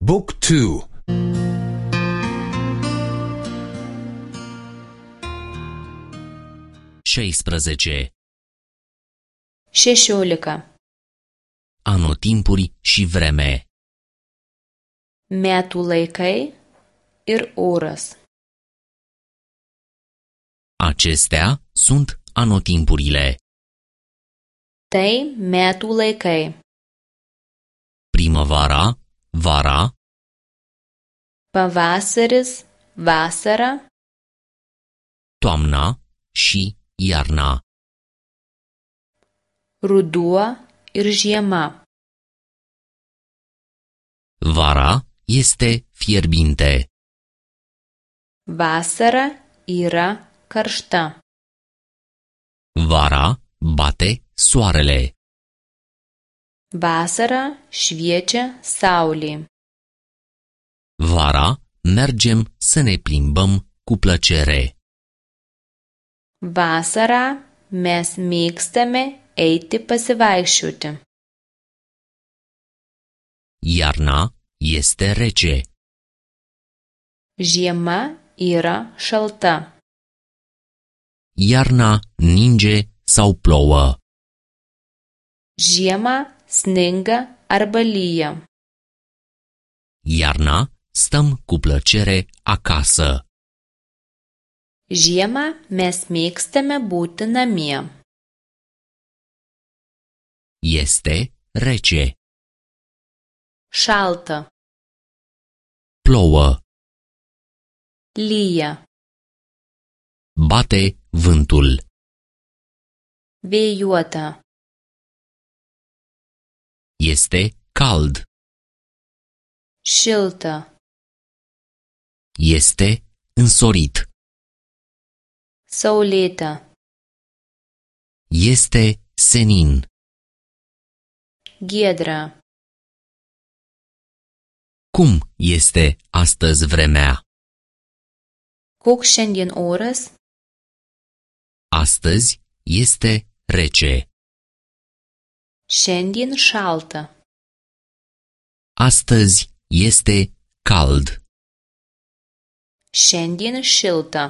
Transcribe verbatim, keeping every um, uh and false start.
Book two. șaisprezece. Šešiolika. Anotimpuri și vreme. Metų laikai ir oras. Acestea sunt anotimpurile. Tai metų laikai. Primăvara, vara, Pavasaris, vasara, toamna și iarna. ruduo ir žiema. Vara este fierbinte. Vasara yra karšta. Vara bate soarele. Vasara šviečia saulė. Vara mergem să ne plimbăm cu plăcere. Vasarą mes mėgstame eiti pasivaikščioti. Iarna este rece. Žiema yra šalta. Iarna ninge sau plouă. Žiemą sninga arba lyja. Iarna stăm cu plăcere acasă. Žiemą mes mėgstame būti namie. Este rece. Šalta. Plouă. Lyja. Bate vântul. Vėjuota. Este cald. Šilta. Este însorit. Saulėta. Este senin. Giedra. Cum este astăzi vremea? Koks šiandien oras? Astăzi este rece. Šiandien šalta. Astăzi este cald. Šiandien šilta.